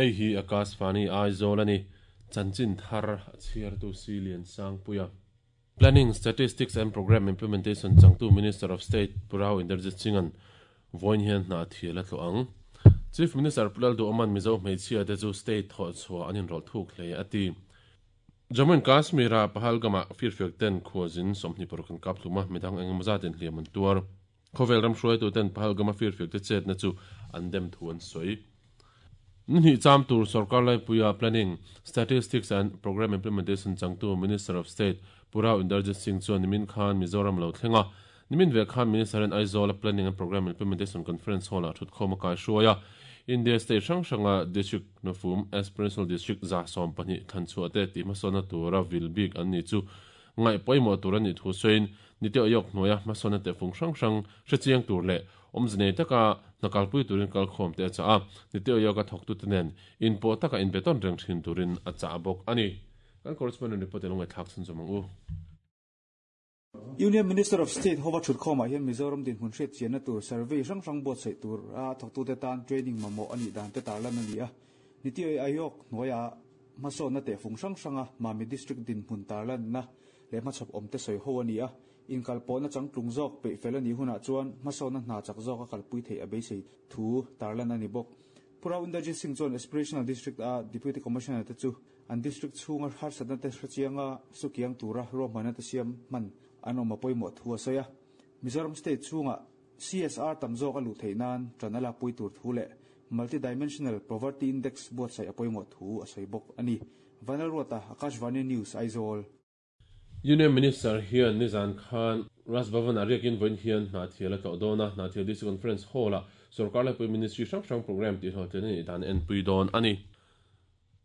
Hei hi Akashvani Aizawl a ni. Chanchin thar a chhiartu Siliansangpuia. Planning, Statistics and Programme Implementation changtu Minister of State Pu Rao Inderjit Singh-a'n vawiin hian hna thial a tlawh ang. Chief Minister Pu Lalduhawma'n Mizo hmeichhia te chu state thawh chhuah an inrawlh thuk hle a ti. Jammu and Kashmir-a Pahalgam-ah firfiak ten khuazin 26 an kap hlum a, midang engemaw zatin hliam an tuar. Khawvel ram hruaituten Pahalgam-a firfiak te chetna chu an dem thu an sawi. Ni hnih cham tur sorkar laipuia Planning, Statistics and Programme Implementation changtu Minister of State Pu Rao Inderjit Singh chuan nimin khan Mizoram a lo thleng a. Nimin ve khan Minister-in Aizawl-a Planning and Programme Implementation Conference Hall-ah thutkhawm a kaihruai a. India state hrang hranga District hnufum Aspirational District 120 thlanchhuah te tihhmasawnna tura vil bik an ni chu ngaih pawimawh tur a nih thu sawiin Niti Aayog hnuaia hmasawnna tehfung hrang hrang hrechiang tur leh awmze nei taka hna kalpui turin kalkhawm te a chah a, Niti Aayog-a thawktute nen inpawh taka inbetawn reng thin turin a chah bawk a ni. Kan correspondent report in lo ngaihthlak chhunzawm ang u. Union Minister of State hova thutkhawmah hian Mizoram dinhmun hriat chianna tur survey hrang hrang buatsaih tur a thawktute tan training mamawh a nih dan te tarlan a ni a. Niti Aayog hnuaiah hmasawnna tehfung hrang hranga Mami District dinhmun tarlanna leh hmachhawp awmte sawi ho a ni a, inkalpawhna changtlung zawk peih fel a nih hunah chuan hmasawnna hna chak zawk a kalpui theih a beisei thu tarlan a ni bawk. Pu Rao Inderjit Singh chuan Aspirational District a Deputy Commissioner te chu an district chhunga harsatna te hrechianga sukiang tura ruahmanna te siam hman an awm a pawimawh thu a sawi a. Mizoram state chhunga CSR tam zawk a luh theih nan ṭan a lakpui tur thu leh Multi-Dimensional Poverty Index buatsaih a pawimawh thu a sawi bawk a ni. Vanlalruata, Akashvani News, Aizawl. Union Minister hian nizan khan Raj Bhavan-ah riakin vawiin hian Hnahthial a tlawh dawn a, Hnahthial District Conference Hall-ah sorkar laipui Ministry hrang hrang programme tihhlawhtlin a nih dan a enpui dawn a ni.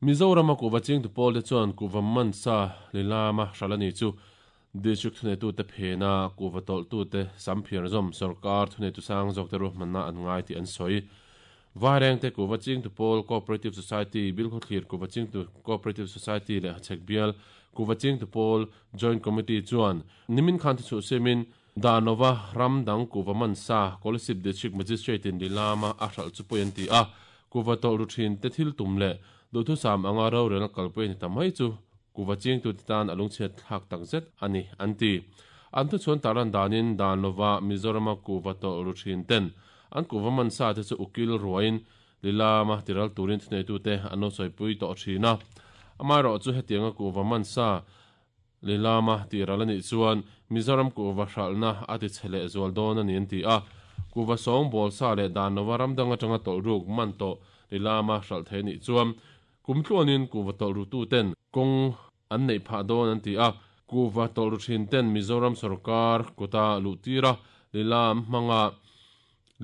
Mizorama kuhva chingtu pawlte chuan kuhva mansa lilama hralh a ni chu District thuneitute phena kuhva tawlhtute samphiar zawm sorkar thuneitu sang zawkte ruahmanna an ngai tih an sawi. Vairengte kuhva chingtu pawl Cooperative Society, Bilkhawthlir kuhva chingtu Cooperative Society leh Hachhek bial kuhva chingtu pawl Joint Committee chuan nimin khan thuchhuh siamin Danova ram dang kuhva man sa Kolasib District Magistrate in Lilama a hralh chu pawi an ti a, kuhva tawlh ru thin te thil tum leh duhthusam anga rorelna kalpui a ni ta mai chu kuhva chingtute tan a lungchhiat thlak tak zet a ni an ti. An thuchhuan tarlan danin Danova Mizorama kuhva tawlh ru thin ten An kuhva man sa te chu ukil ruaiin Lilama tiral turin thuneitute an lo sawipui tawh thin a. Amaherawhchu hetianga kuhva man sa Lilama tiral a nih chuan Mizoram kuhva hralhna a ti chhe leh zual dawn a ni an ti a. Kuhva sawng bawl sa leh dan lova ram dang atanga tawlh ruk man tawh Lilama hralh thei a nih chuan kum tluanin kuhva tawlh rututen kawng an neih phah dawn an ti a, kuhva tawlh ru thin ten Mizoram sorkar kuta luh tir a, lilam hmanga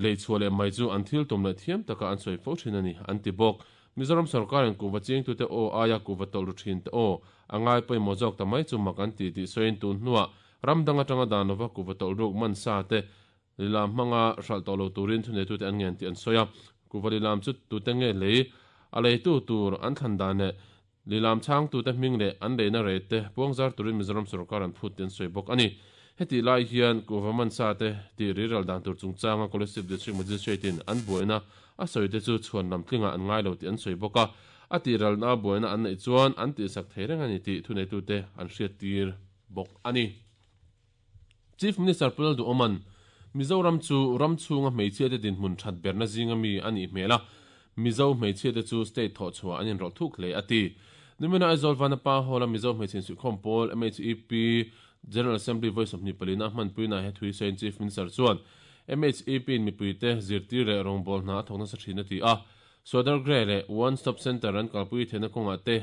lei chhuah leh mai chu an thil tum leh thiam taka an sawi fo thin a ni, an ti bawk. Mizoram sorkarin kuhva chingtute aw aia kuhva tawlh ru thin te aw a ngai pawimawh zawk ta mai chu mak an ti tih sawiin tun hnuah ram dang atanga dan lova kuhva tawlh ruk man sa te lilam hmanga hralh tawh lo turin thuneitute an ngen tih an sawi a, kuhva lilam chu tute nge lei a leitu tur an thlan dan leh Lilam chhangtute hming leh an leina rate te puangzar turin Mizoram sorkar an phut tih an sawi bawk a ni. Hetih lai hian kuhva mansa te tih riral dan tur chungchanga Kolasib District Magistrate in an buaina a sawi te chu chhuan lam tlingah an ngai lo tih an sawi bawk a, a tihralna buaina an neih chuan an tihsak thei reng a ni tih thuneitute an hriattir bawk a ni. Chief Minister Pu Lalduhawma'n Mizoram chu ram chhunga hmeichhiate dinhmun that berna zinga mi a nih hmel a, Mizo hmeichhiate chu state thawhchhuah an inrawlh thuk hle a ti. Nimina Aizawl Vanapa Hall-a Mizo Hmeichhe Insuihkhawm Pawl, MHEP, General Assembly vawi 24 a hmanpuinaah he thui sawiin Chief Minister chuan MHEP-in mipuite zirtir leh rawngbâwl hna a thawk nasa thin a ti a, Swadargreh leh One Stop Centre an kalpui theihna kawngah te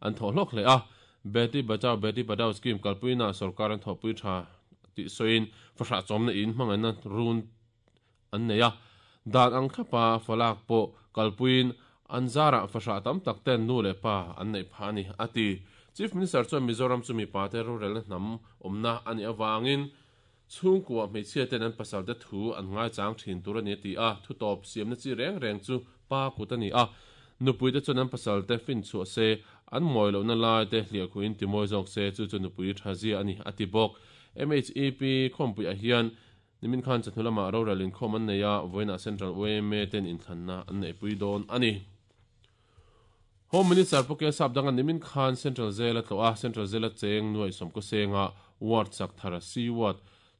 an thawh hlawk hle a, Beti Bachao Beti Padhao scheme kalpuinaah sorkar an thawhpui tha tih sawiin fahrah chawmna in hmangaihna run an nei a, dan ang thlapa falak pawh kalpuiin an zarah fahrah tam tak ten nu leh pa an neih phah a ni, a ti. Chief Minister chuan Mizoram chu mipate rorelna hnam awmna a nih avangin chhungkua hmeichhia ten an pasalte thu an ngaichang thin tur a ni a ti a, thutawp siamna chi reng reng chu pa kut a ni a, nupuite chuan an pasalte finchhuah se, an mawi lohna lai te hliahkhuhin timawi zawk se, chu chu nupui tha zia a ni, a ti bawk. MHEP khawmpuiah hian nimin khan chawhnu lamah rorel inkhawm an nei a, vawiinah Central yma ten inthlanna an neihpui dawn a ni. Home Minister Pu K Sapdanga nimin khan Central Jail a tlawh a, Central Jail a cheng nuaih sawmkaw senga ward chak thar C ward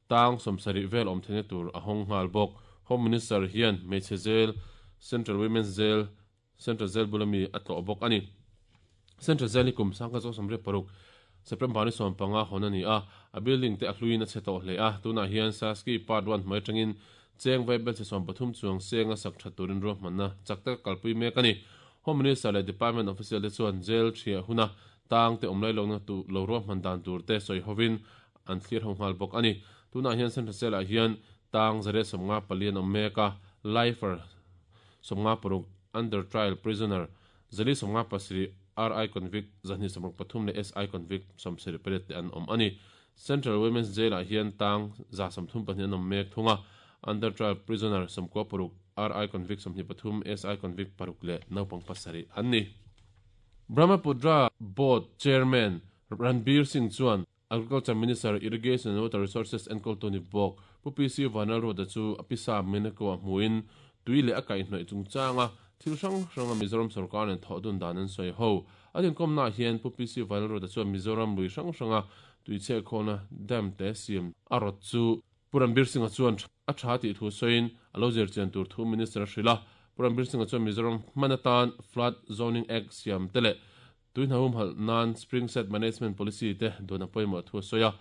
tang 70 vel awm theihna tur a hawng nghal bawk. Home Minister hian hmeichhe jail, Central Women's Jail, Central Jail bula mi a tlawh bawk a ni. Central Jail hi kum 1986 September ni 15 hawn a ni a, a building te a hluiin a chhe tawh hle a, tunah hian Saski Part One hmai atangin cheng vai belchhe 30 chuang senga sak that turin ruahmanna chak taka kalpui mek a ni. Home Minister leh Department official te chuan jail thiah huna tang te awm lai lohna lo ruahman dan tur te sawi hovin an thlir ho nghal bawk a ni. Tunah hian Central Jail ah hian tang 154 an awm mek a, lifer 56, under trial prisoner 457, RI convict 263 leh SI convict 78 te an awm a ni. Central Women's Jail ah hian tang 134 an awm mek thung a, under trial prisoner 96, RI convict 23, SI convict paruk leh naupang pasarih an ni. Brahmaputra Board Chairman Ranbir Singh chuan Agriculture Minister, Irrigation and Water Resources enkawltu ni bawk Pu PC Vanlalruata chu a pisa Meneko ah hmuin tui leh a kaihhnawih chungchanga thil hrang hranga Mizoram sorkar nen thawh dun dan an sawi ho. A inkawmnaah hian Pu PC Vanlalruata chuan Mizoram lui hrang hranga tui chhehkhawlna dam te siam a rawt chu Pu Ranbir Singh-a chuan a tha tih thu sawiin a lo zirchian tur thu Minister a hrilh a. Pu Ranbir Singh-a chuan Mizoram hman atan Flood Zoning Act siam te leh tui hna humhalh nan Spring Set Management Policy te duan a pawimawh thu a sawi a.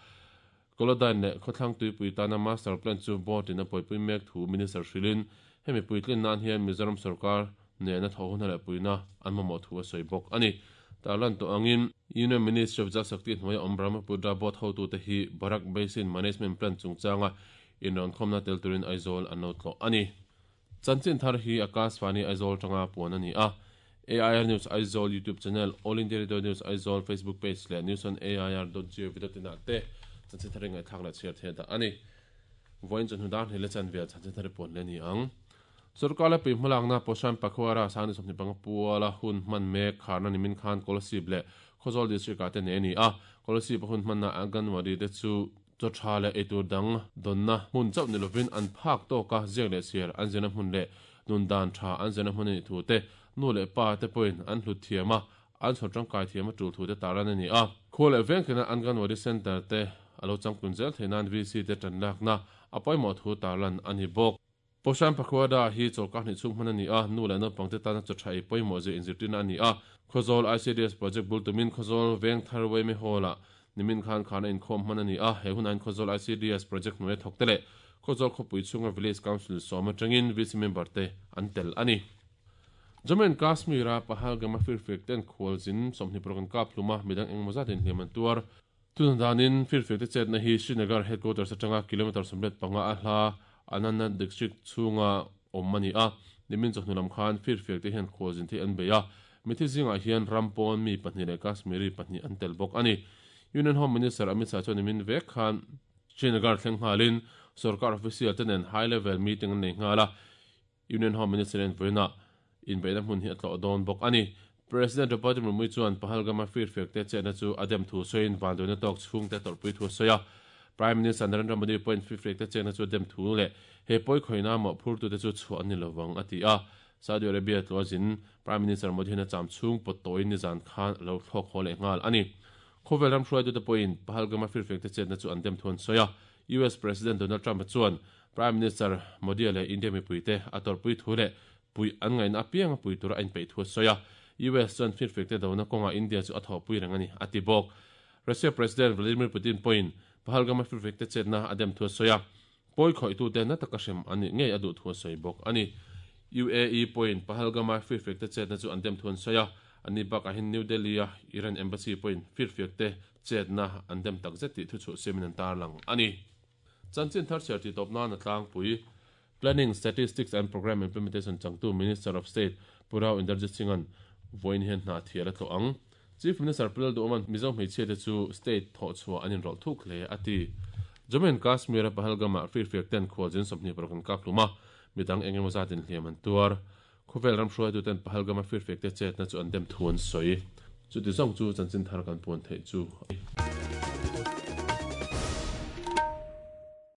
Kolodyne leh Khawthlang Tuipui tana Master Plan chu Board in a buaipui mek thu Minister hrilhin hemi puitlin nan hian Mizoram sorkar nena thawh hun leh puina an mamawh thu a sawi bawk a ni. Tarlan tawh angin Union Ministry of Jal Shakti hnuaia awm Brahmaputra Board hotute hi Barak Basin Management Plan chungchanga inrawnkhawmna tel turin Aizawl an lo tlawh a ni. Chanchin thar hi Akashvani Aizawl tanga puan a ni a. AIR News Aizawl YouTube channel, All India Radio News Aizawl Facebook page leh News on AIR dot gov dot in ah te chanchin thar hi ngaihthlak leh chhiar theih dah a ni. Vawiin chawhnu dar hnih leh chanvel chanchin thar hi puan leh a ni ang. Sorkar leh pui hmalakna Poshan Pakhwara Sangni 25 puala hun hman mek kharna nimin khan Kolasib leh Khawzawl District ah te nei a ni a. Kolasib a hun hmanna Anganwadi te chu Chaw tha leh eitur dang dawnna hmun chauh ni lovin an phak tawka ziak leh chhiar an zirna hmun leh nun dan tha an zirna hmun a nih thu te, nu leh pa te pawhin an hlut thiam a, an chhawr tangkai thiam a tul thu te tarlan a ni a. Khua leh veng thlena Anganwadi Centre te a lo changkun zel theih nan VC te tanlakna a pawimawh thu tarlan a ni bawk. Poshan Pakhwada hi chawlhkar hnih chhung hman a ni a, nu leh naupang te tana chaw tha ei pawimawh zia inzirtirna a ni a. Khawzawl ICDS Project bul tumin Khawzawl Vengthar Weme Hall-ah nimin khan khan a inkhawm hman a ni a, he hunah hian Khawzawl ICDS Project hnuaia thawk te leh Khawzawl khawpui chhunga Village Council sawm atangin VC member te an tel a ni. Jammu and Kashmir-a Pahalgam-a firfiak ten khualzin 26 an kap hlum a, midang engemaw zat inhliam an tuar. Tuna danin firfiakte chetna hi Srinagar headquarters atanga kilometre 15 a hla Anantnag district chhunga awm a ni a. Nimin chawhnu lam khan firfiakte hian khualzin thei an bei a, mithi zingah hian ram pawn mi pahnih leh Kashmiri pahnih an tel bawk a ni. Union Home Minister Amit Shah chuan nimin vek khan Srinagar thleng nghalin sorkar official te nen high level meeting an nei nghal a, Union Home Minister hian vawiinah inbeihna hmun hi a tlawh dawn bawk a ni. President Draupadi Murmu chuan Pahalgam-a firfiakte chetna chu a dem thu sawiin vanduaina tawk chhungte tawrhpui thu a sawi a. Prime Minister Narendra Modi pawhin firfiakte chetna chu a dem thu leh he pawi khawihna mawhphurtute chu chhuah an ni lovang a ti a. Saudi Arabia tlawh zin Prime Minister Modi hian a cham chhung pawt tawhin nizan khan a lo thlawk haw leh nghal a ni. Khawvel ram hruaitute pawhin Pahalgam-a firfiakte chetna chu an dem thu an sawi a. US President Donald Trump-a chuan Prime Minister Modi-a leh India mipuite a tawrhpui thu leh puih an ngaihna apiang a pui tura a inpeih thu a sawi a. US chuan firfekte dona kawngah India chu a thawhpui reng a ni, a ti bawk. Russia President Vladimir Putin pawhin Pahalgam-a firfekte chetna a dem thu a sawi a, pawi khawihtute na taka hrem an nih ngei a duh thu a sawi bawk a ni. UAE pawhin Pahalgam-a firfekte chetna chu an dem thu an sawi a, anni bakah hian New Delhi-a Iran Embassy pawhin firfekte chetna an dem takzet tih thuchhuah siamin an tarlang a ni. Chanchin thar chhiar tih tawp nan a tlangpui. Planning, Statistics and Programme Implementation changtu Minister of State Pu Rao Inderjit Singh-a'n vawiin hian hna thial a tlawh ang. Chief Minister Pu Lalduhawma'n Mizo hmeichhiate chu state thawh chhuah an inrawlh thuk hle a ti. Jammu and Kashmir-a Pahalgam-ah firfiak ten khualzin 26 an kap hlum a, midang eng emaw zat inhliam an tuar. Khawvel ram hruaituten Pahalgam-a firfiakte chetna chu an dem thu an sawi. Chuti zawng chu chanchin thar kan puan theih chu a ni.